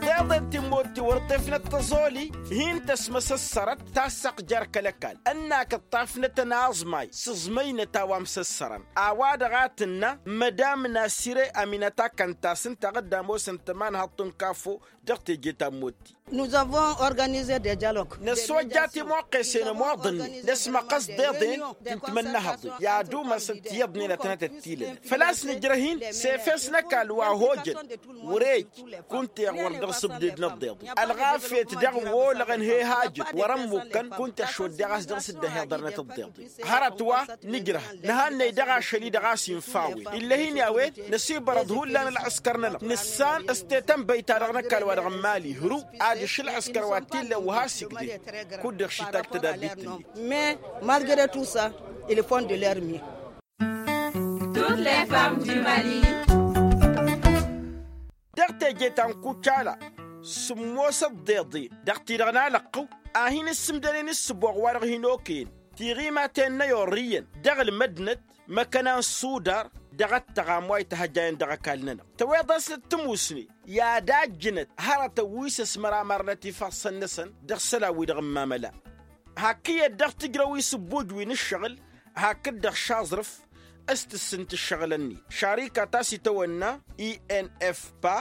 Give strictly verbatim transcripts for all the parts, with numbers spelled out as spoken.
Tiḍeḍen ti n-imott ti wăr ḍefnăt tăẓoli hin-tăsmăsăssărăt tassăɣ jer-kăl-ăkall ănn-ak ǝṭṭafnătăn aẓmay s-aẓmăynăt a-wa msăssărăn. A-wa-dăɣ a tǝnnă mădam nasire aminăt a kăn-tasǝntaɣ dd-ămoosăn tămanhăḍt n-kafo dăɣ-teje ta n-imott-ti. Năswăjja timăqqesen ămoḍăn-ni năsmăqqăs deḍen ti n-timănnăhăḍe i-ad-umasăn tiyyăḍnen ătnăt ăttilănăt făl-a-s nǝjrăh-in s-efes n-ăkall wa ăhojăn. Wăr-e ej kunta iɣwăr dăɣ-s ǝbded n-ăḍḍeḍe ălɣafyăt daɣ wăr olăɣăn he-hajăt wăr-ămmukkăn kunta iɣšoddeɣ a-s dăɣ-s dd-ăhiḍărnăt ăḍḍeḍe. Hărăt wa nǝjrăh nǝhannăy dăɣ-ašăl-i dăɣ-a-s infa a-wen ill'-e-hin i-a-wen năsibărăḍ hullan ălɣǝskăr-nănăɣ nǝssan s-tetănbăy-ta-dăɣ n-ăkall wa dăɣ-n mali hruw. Ad-ǝš ǝlɣǝskăr wa t-illăn wa has-igded kud-dăɣ šittak tădabbit-net. Mais malgre tout ça, il font de leur mieux. Dăɣ-teje ta n-kucala sǝmmosăt deḍe dăɣ-ti-dăɣ n-alăqqăw a hin-ǝssǝmdănen ǝssǝboɣ wa-dăɣ hin-okăyăn tiɣimaten n-ayorrǝyăn dăɣ-ălmădnăt măkkăna n-sudar dăɣ-ăttăɣam wa ităhăjjayăn dăɣ-ăkall-nănăɣ. Tăweḍ-asnăt tămusne i-ad-ajjǝnăt hărătăn wi s-ăsmăr amărnăt ifassăn-năsăn dăɣ-isălan-wi-dăɣ n-imamăla. Hakk iyyăt dăɣ-tǝjrăw isǝbbuj wi n-ǝššăɣǝl hakd-dăɣ šaẓrǝf s-tǝssǝnt ǝššăɣǝl-ǝnnin šarika ta s-itawănna i n f pa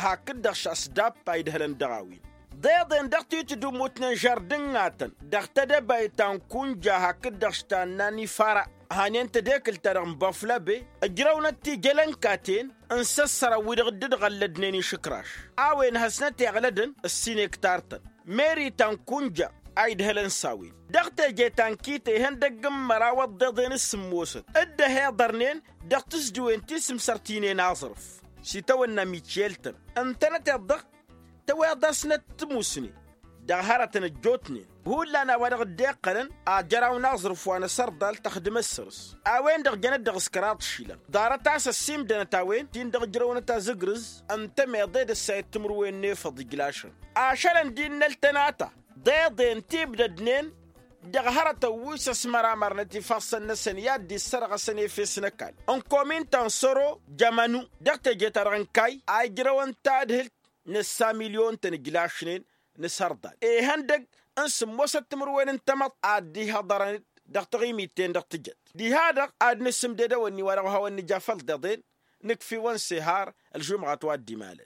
hakd-dăɣ šasdappa idhălăn dăɣ-a-wen. Ḍeḍen dăɣ-titǝdumutnen žardǝngatăn dăɣ-tedăbayt ta n-kunja hakd-dăɣ š-tanna n-ifara hanen tedekǝlt-ta-dăɣ n-băflăbe ǝjrăwnăt tijălănkaten n-isăssărăn wi-dăɣ dd-ɣăllădnen išǝkraš. A-wen hasnăt iɣlădăn ăssinektar-tăn meri ta n-kunja a idhălăn s-a-wen. Dăɣ-teje ta n-kite ihăndăgg n-măraw ăḍḍeḍen s-sǝmmosăt dd-ăhiḍărnen dăɣ-tǝzdiwen ti s-ǝmsărtinen aẓrǝf s-itawănna mityel-tăn ǝntănăteḍ-dăɣ tăweḍ-asnăt tǝmusne dăɣ-hărătăn ăjjootnen. Hullan a-wa-dăɣ dd-iqqălăn ajăraw n-aẓrǝf wa n-asărḍal tăxdǝmăt săr-s a-wen-dăɣ jănăt dăɣ-s kăraḍ išilan ḍarăt a-s ăssiimdănăt a-wen ti n-dăɣ-ǝjrăwnăt azǝgrǝz ǝntămeḍe d-ăssayăt timǝrwen n-efăḍ ijlašăn. Ašălăn d-innăl tănata deḍen ti ǝbdădnen dăɣ-hărătăn wi s-ăsmăramărnăt ifassăn-năsăn i-ad-dd-issărɣăsăn efes n-ăkall n-komin ta n-săro jămănu dăɣ-teje-ta-dăɣ n-kayy a ijrăwăn tadhǝlt n-ǝssa milyon-tăn ǝjlašnen n-asărḍal ihăndăg n-sǝmmosăt timǝrwen n-tamăḍt ad-dd-ihăḍărăn dăɣ-taɣimit-ten-dăɣ tǝjăt. Diha-dăɣ ad-nǝsǝmded ewănni wa dăɣ-ohawăn nǝja făll-deḍen nǝkf'-iwăn s-ehar ălžumɣat wa dd-imalăn.